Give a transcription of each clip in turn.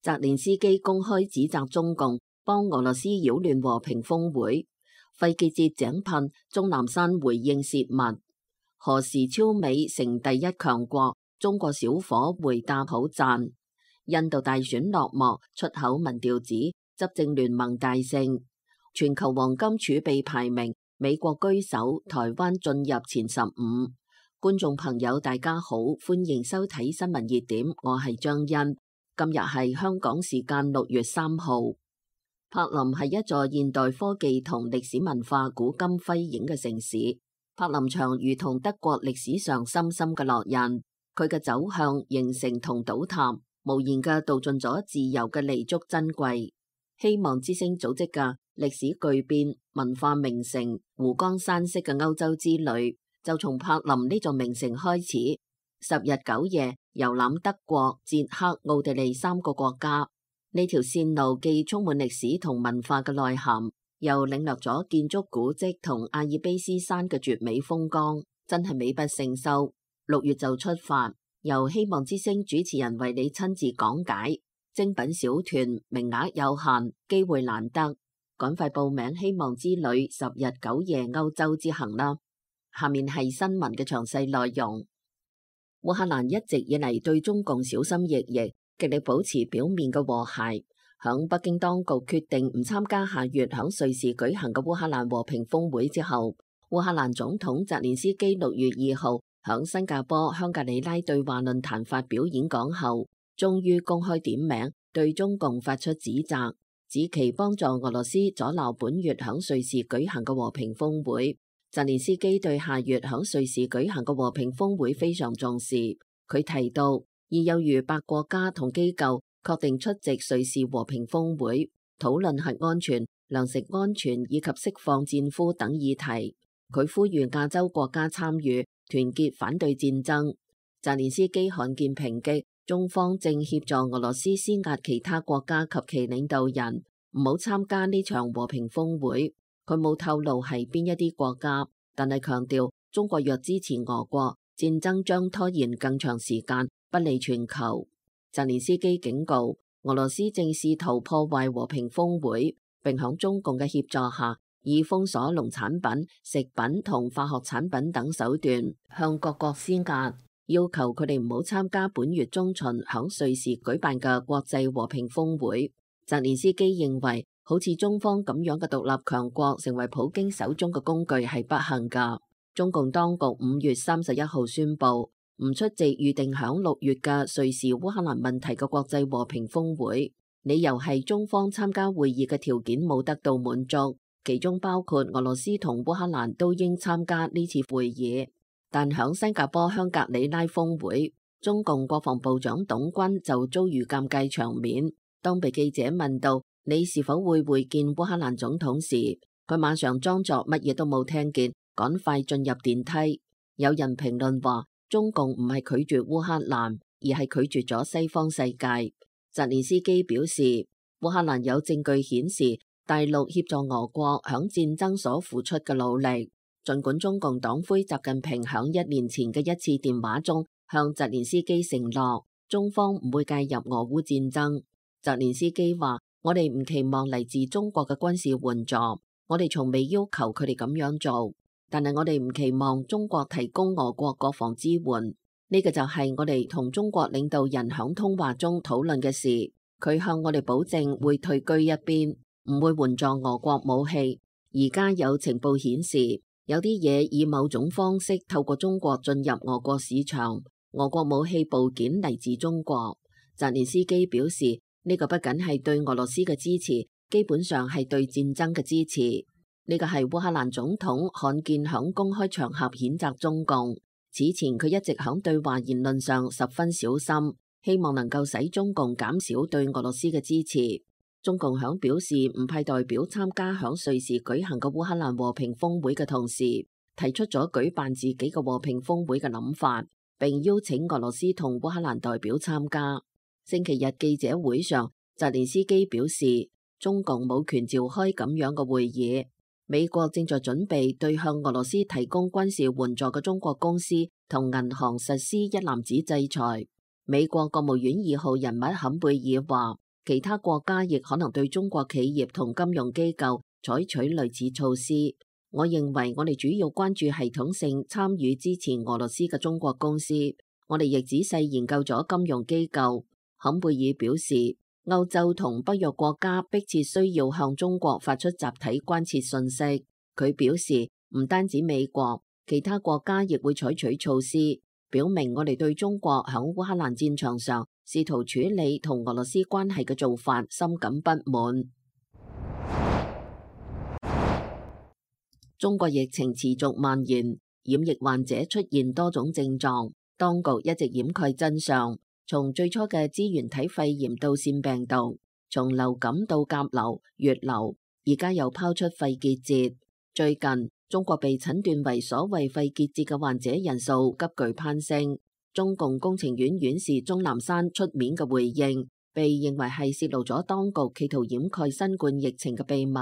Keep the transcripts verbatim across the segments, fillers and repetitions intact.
澤連斯基公開指責中共幫俄羅斯擾亂和平峰會，費傑節井噴，鍾南山回應洩密。何時超美成第一強國？中國小伙回答好讚。印度大選落幕，出口民調指執政聯盟大勝。全球黃金儲備排名，美國居首，台灣進入前十五。觀眾朋友大家好，歡迎收睇新聞熱點，我係張欣。今日係香港時間六月三號。柏林係一座現代科技同歷史文化古今輝映嘅城市。柏林牆如同德國歷史上深深嘅烙印，佢嘅走向、形成同倒塌，無言嘅道盡咗自由嘅彌足珍貴。希望之聲組織嘅歷史巨變、文化名城、湖光山色嘅歐洲之旅，就從柏林呢座名城開始，十日九夜遊覽德國、捷克、奧地利三個國家。呢條線路既充滿歷史同文化嘅內涵，又領略咗建築古蹟同阿爾卑斯山嘅絕美風光，真係美不勝收。六月就出發，由希望之聲主持人為你親自講解。精品小團，名額有限，機會難得，趕快報名希望之旅十日九夜歐洲之行啦！下面係新聞嘅詳細內容。烏克蘭一直以嚟對中共小心翼翼，極力保持表面嘅和諧。響北京當局決定唔參加下月響瑞士舉行嘅烏克蘭和平峰會之後，烏克蘭總統澤連斯基六月二號響新加坡香格里拉對話論壇發表演講後，終於公開點名對中共發出指責，指其幫助俄羅斯阻撓本月響瑞士舉行嘅和平峰會。澤連斯基對下月響瑞士舉行嘅和平峰會非常重視，佢提到已有逾百國家同機構確定出席瑞士和平峰會，討論核安全、糧食安全以及釋放戰俘等議題。佢呼籲亞洲國家參與，團結反對戰爭。澤連斯基罕見抨擊中方正協助俄羅斯施壓其他國家及其領導人唔好參加呢場和平峰會。佢冇透露係邊一啲國家，但係強調中國若支持俄國，戰爭將拖延更長時間，不利全球。澤連斯基警告，俄羅斯正試圖破壞和平峰會，並響中共嘅協助下，以封鎖農產品、食品同化學產品等手段向各國施壓，要求佢哋唔好參加本月中旬響瑞士舉辦嘅國際和平峰會。澤連斯基認為，好似中方咁樣嘅獨立強國成為普京手中嘅工具係不幸㗎。中共當局五月三十一號宣布唔出席預定響六月嘅瑞士烏克蘭問題嘅國際和平峰會，理由係中方參加會議嘅條件冇得到滿足，其中包括俄羅斯同烏克蘭都應參加呢次會議。但響新加坡香格里拉峰會，中共國防部長董軍就遭遇尷尬場面。當被記者問到你是否會會見烏克蘭總統時，佢馬上裝作乜嘢都冇聽見，趕快進入電梯。有人評論話，中共唔係拒絕烏克蘭，而係拒絕咗西方世界。澤連斯基表示，烏克蘭有證據顯示大陸協助俄國響戰爭所付出嘅努力。儘管中共黨魁習近平響一年前嘅一次電話中向澤連斯基承諾，中方唔會介入俄烏戰爭。澤連斯基話，我哋唔期望嚟自中國嘅軍事援助，我哋從未要求佢哋咁樣做，但係我哋唔期望中國提供俄國國防支援。呢個就係我哋同中國領導人響通話中討論嘅事。佢向我哋保證會退居一邊，唔會援助俄國武器。而家有情報顯示，有啲嘢以某種方式透過中國進入俄國市場，俄國武器部件嚟自中國。澤連斯基表示，呢個不僅係對俄羅斯嘅支持，基本上係對戰爭嘅支持。呢個係烏克蘭總統罕見響公開場合譴責中共。此前佢一直響對華言論上十分小心，希望能夠使中共減少對俄羅斯嘅支持。中共響表示唔派代表參加響瑞士舉行嘅烏克蘭和平峰會嘅同時，提出咗舉辦自己嘅和平峰會嘅諗法，並邀請俄羅斯同烏克蘭代表參加。星期日記者會上，澤連斯基表示，中共冇權召開咁樣嘅會議。美國正在準備對向俄羅斯提供軍事援助嘅中國公司同銀行實施一籃子制裁。美國國務院二號人物坎貝爾話，其他國家亦可能對中國企業同金融機構採取類似措施。我認為我哋主要關注系統性參與支持俄羅斯嘅中國公司。我哋亦仔細研究咗金融機構。坎貝爾表示，歐洲同北約國家迫切需要向中國發出集體關切信息。佢表示，唔單止美國，其他國家亦會採取措施，表明我哋對中國響烏克蘭戰場上試圖處理同俄羅斯關係嘅做法深感不滿。中國疫情持續蔓延，染疫患者出現多種症狀，當局一直掩蓋真相。從最初嘅支原體肺炎到腺病毒，從流感到甲流、乙流，而家又拋出肺結節。最近，中國被診斷為所謂肺結節嘅患者人數急劇攀升。中共工程院院士鍾南山出面嘅回應，被認為係泄露咗當局企圖掩蓋新冠疫情嘅秘密。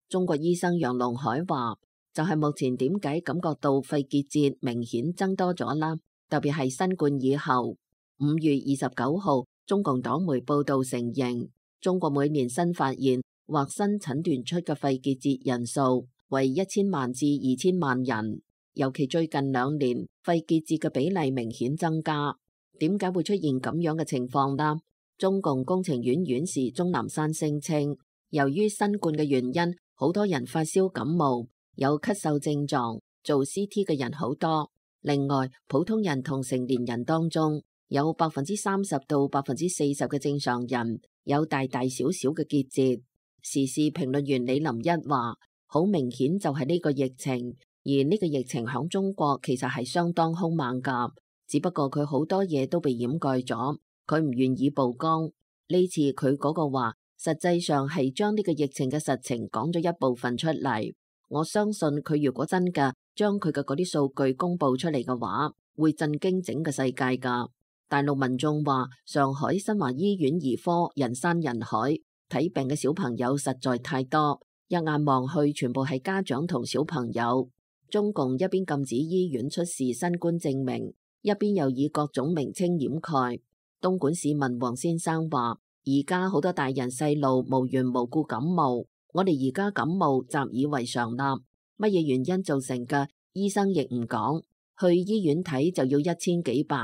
中國醫生楊龍海話，就係、是、目前點解感覺到肺結節明顯增多咗啦，特別係新冠以後。五月二十九號，中共黨媒報道承認，中國每年新發現或新診斷出嘅肺結節人數為一千萬至二千萬人，尤其最近兩年肺結節嘅比例明顯增加。點解會出現咁樣嘅情況呢？中共工程院院士鍾南山聲稱，由於新冠嘅原因，好多人發燒感冒，有咳嗽症狀，做 C T 嘅人好多。另外，普通人同成年人當中，有百分之三十到百分之四十嘅正常人有大大小小嘅結節。時事評論員李林一話，好明顯就係呢個疫情，而呢個疫情響中國其實係相當兇猛噶，只不過佢好多嘢都被掩蓋咗，佢唔願意曝光。呢次佢嗰個話，實際上係將呢個疫情嘅實情講咗一部分出嚟。我相信佢如果真嘅將佢嘅嗰啲數據公布出嚟嘅話，會震驚整個世界噶。大陸民眾話，上海新華醫院兒科人山人海，睇病嘅小朋友實在太多，一眼望去全部係家長同小朋友。中共一邊禁止醫院出示新冠證明，一邊又以各種名稱掩蓋。東莞市民黃先生話，而家好多大人細路無緣無故感冒，我哋而家感冒習以為常啦，乜嘢原因造成嘅，醫生亦唔講，去醫院睇就要一千幾百。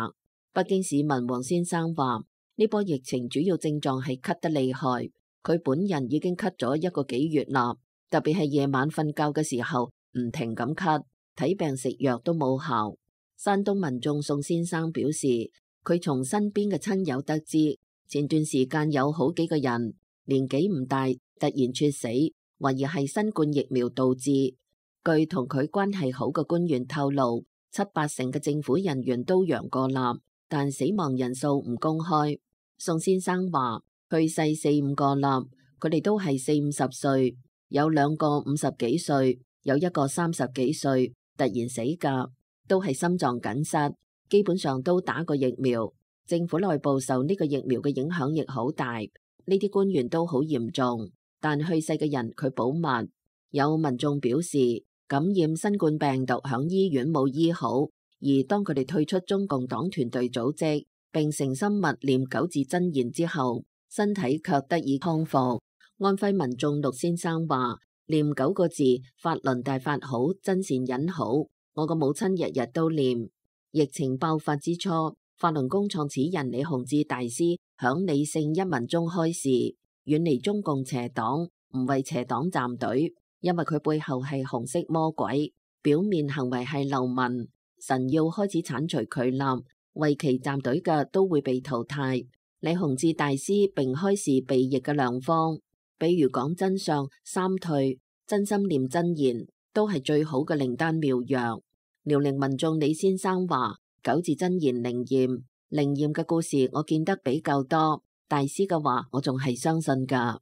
北京市民黃先生話，呢波疫情主要症狀係咳得厲害，佢本人已經咳咗一個幾月啦，特別係夜晚瞓覺嘅時候唔停咁咳，睇病食藥都冇效。山東民眾宋先生表示，佢從身邊嘅親友得知，前段時間有好幾個人年紀唔大突然猝死，懷疑係新冠疫苗導致。據同佢關係好嘅官員透露，七八成嘅政府人員都陽過啦，但死亡人數唔公開。宋先生話，去世四五個啦，佢哋都係四五十歲，有兩個五十幾歲，有一個三十幾歲，突然死噶，都係心臟梗塞，基本上都打過疫苗。政府內部受呢個疫苗嘅影響亦好大，呢啲官員都好嚴重，但去世嘅人佢保密。有民眾表示，感染新冠病毒響醫院冇醫好，而當佢哋退出中共黨團隊組織，並誠心默念九字真言之後，身體卻得以康復。安徽民眾陸先生話，念九個字，法輪大法好，真善忍好。我個母親日日都念。疫情爆發之初，法輪功創始人李洪志大師響理性一文中開示，遠離中共邪黨，唔為邪黨站隊，因為佢背後係紅色魔鬼，表面行為係流民。神要開始鏟除佢啦，為其站隊嘅都會被淘汰。李洪志大師並開示避疫嘅良方，比如講真相、三退、真心念真言，都係最好嘅靈丹妙藥。遼寧民眾李先生話，九字真言靈驗，靈驗嘅故事我見得比較多，大師嘅話我仲係相信噶。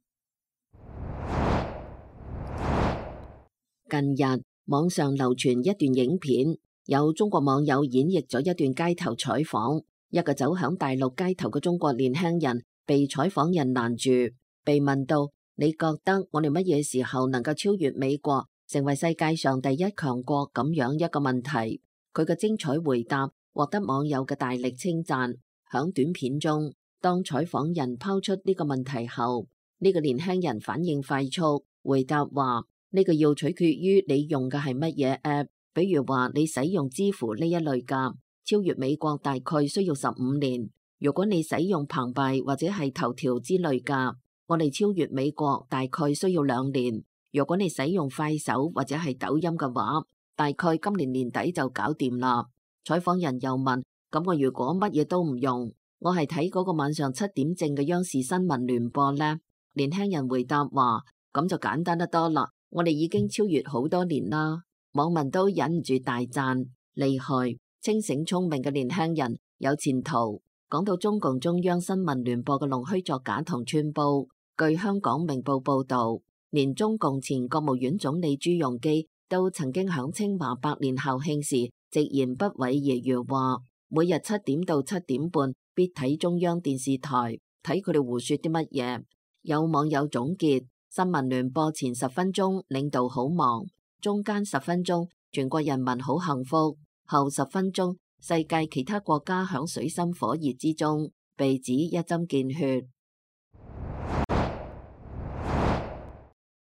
近日網上流傳一段影片，有中國網友演繹咗一段街頭採訪，一個走響大陸街頭嘅中國年輕人被採訪人攔住，被問到，你覺得我哋乜嘢時候能夠超越美國，成為世界上第一強國咁樣一個問題？佢嘅精彩回答獲得網友嘅大力稱讚。響短片中，當採訪人拋出呢個問題後，呢個年輕人反應快速，回答話：呢個要取決於你用嘅係乜嘢 app， 比如話你使用支付呢一類㗎，超越美國大概需要十五年；如果你使用澎湃或者係頭條之類㗎，我哋超越美國大概需要兩年；如果你使用快手或者係抖音嘅話，大概今年年底就搞掂啦。採訪人又問：咁我如果乜嘢都唔用，我係睇嗰個晚上七點正嘅央視新聞聯播呢？年輕人回答話：咁就簡單得多啦，我哋已經超越好多年啦。網民都忍唔住大讚：厲害，清醒聰明嘅年輕人，有前途。講到中共中央新聞聯播嘅弄虛作假同串報，據香港明報報道，連中共前國務院總理朱鎔基都曾經響清華百年校慶時直言不諱揶揄話：每日七點到七點半必睇中央電視台，睇佢哋胡說啲乜嘢。有網友總結：新聞聯播前十分鐘領導好忙，中間十分鐘全國人民好幸福，後十分鐘世界其他國家響水深火熱之中，被指一針見血。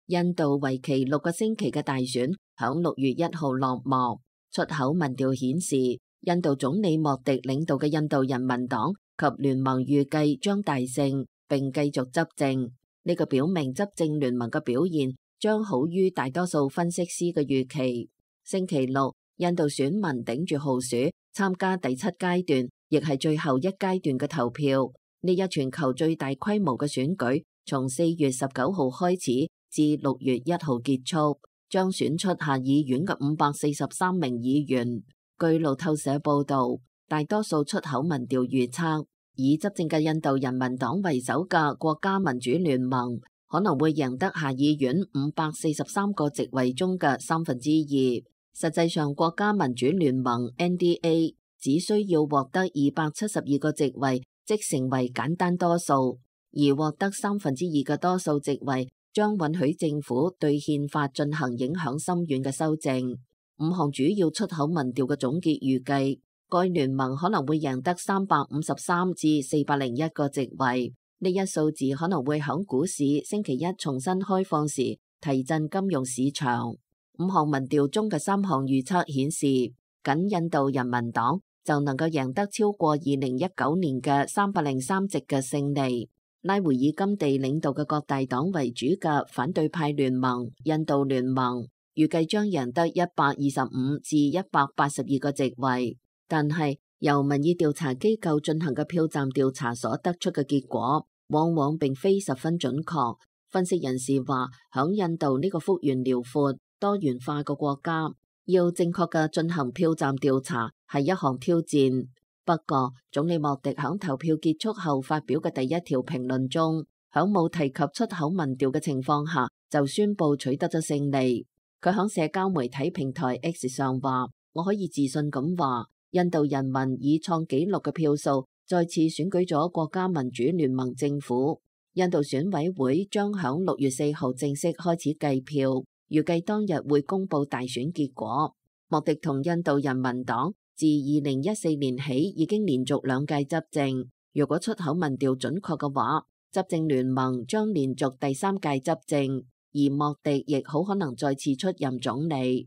印度為期六個星期嘅大選響六月一號落幕，出口民調顯示，印度總理莫迪領導嘅印度人民黨及聯盟預計將大勝並繼續執政。呢個表明執政聯盟嘅表現將好於大多數分析師嘅預期。星期六，印度選民頂住酷暑參加第七階段，亦係最後一階段嘅投票。呢一全球最大規模嘅選舉，從四月十九號開始至六月一號結束，將選出下議院嘅五百四十三名議員。據路透社報道，大多數出口民調預測，以執政嘅印度人民黨為首嘅國家民主聯盟可能會贏得下議院五百四十三個席位中嘅三分之二。實際上，國家民主聯盟 N D A 只需要獲得二百七十二個席位，即成為簡單多數，而獲得三分之二嘅多數席位，將允許政府對憲法進行影響深遠嘅修正。五項主要出口民調嘅總結預計，該聯盟可能會贏得三百五十三至四百零一個席位。呢一數字可能會響股市星期一重新開放時提振金融市場。五項民調中嘅三項預測顯示，僅印度人民黨就能夠贏得超過二零一九年嘅三百零三席嘅勝利。拉回爾甘地領導嘅各大黨為主嘅反對派聯盟印度聯盟預計將贏得一百二十五至一百八十二個席位，但係由民意調查機構進行嘅票站調查所得出嘅結果，往往並非十分準確。分析人士話，響印度呢個幅員遼闊、多元化嘅國家，要正確嘅進行票站調查係一項挑戰。不過，總理莫迪響投票結束後發表嘅第一條評論中，響冇提及出口民調嘅情況下，就宣布取得咗勝利。佢響社交媒體平台 X 上話：我可以自信咁話，印度人民以創紀錄嘅票數再次選舉咗國家民主聯盟政府。印度選委會將響六月四號正式開始計票，預計當日會公布大選結果。莫迪同印度人民黨自二零一四年起已經連續兩屆執政，如果出口民調準確嘅話，執政聯盟將連續第三屆執政，而莫迪亦好可能再次出任總理。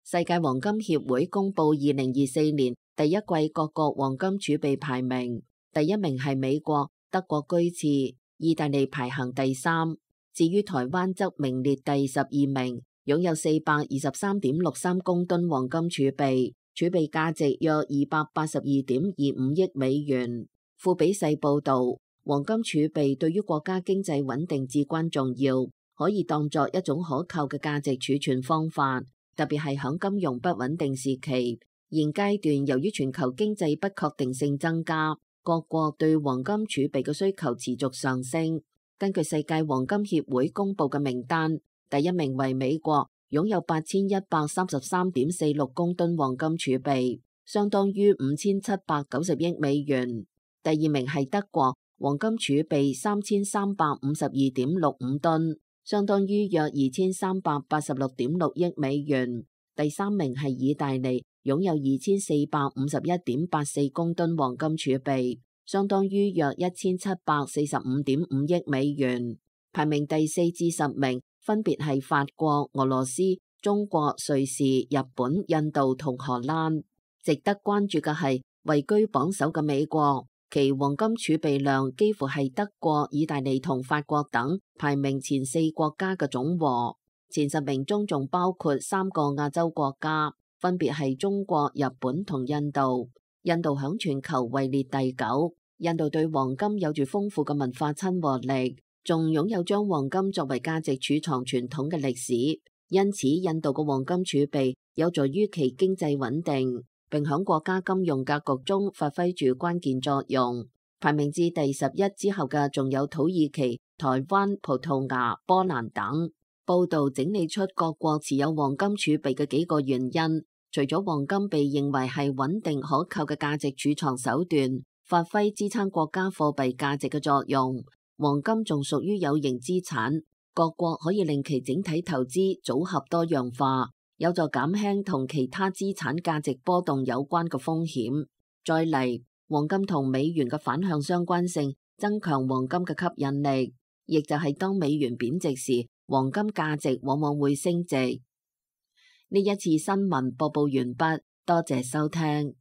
世界黃金協會公布二零二四年第一季各國黃金儲備排名，第一名係美國，德國居次，意大利排行第三，至於台灣則名列第十二名。擁有四百二十三點六三公噸黃金儲備，儲備價值約二百八十二點二五億美元。富比世報道，黃金儲備對於國家經濟穩定至關重要，可以當作一種可靠嘅價值儲存方法，特別係響金融不穩定時期。現階段由於全球經濟不確定性增加，各國對黃金儲備嘅需求持續上升。根據世界黃金協會公布嘅名單，第一名為美國，擁有八千一百三十三點四六公噸黃金儲備，相當於五千七百九十億美元。第二名係德國，黃金儲備三千三百五十二點六五噸，相當於約二千三百八十六點六億美元。第三名係意大利，擁有二千四百五十一點八四公噸黃金儲備，相當於約一千七百四十五點五億美元。排名第四至十名分別係法國、俄羅斯、中國、瑞士、日本、印度同荷蘭。值得關注嘅係位居榜首嘅美國，其黃金儲備量幾乎係德國、意大利同法國等排名前四國家嘅總和。前十名中仲包括三個亞洲國家，分別係中國、日本同印度。印度響全球位列第九。印度對黃金有住豐富嘅文化親和力，仲擁有將黃金作為價值儲藏傳統嘅歷史。因此，印度嘅黃金儲備有助於其經濟穩定，並響國家金融格局中發揮住關鍵作用。排名至第十一之後嘅仲有土耳其、台灣、葡萄牙、波蘭等。報道整理出各國持有黃金儲備嘅幾個原因，除咗黃金被認為係穩定可靠嘅價值儲藏手段，發揮支撐國家貨幣價值嘅作用，黃金仲屬於有形資產，各國可以令其整體投資組合多樣化，有助減輕同其他資產價值波動有關嘅風險。再嚟，黃金同美元嘅反向相關性增強黃金嘅吸引力，亦就係當美元貶值時，黃金價值往往會升值。呢一次新聞播報完畢，多謝收聽。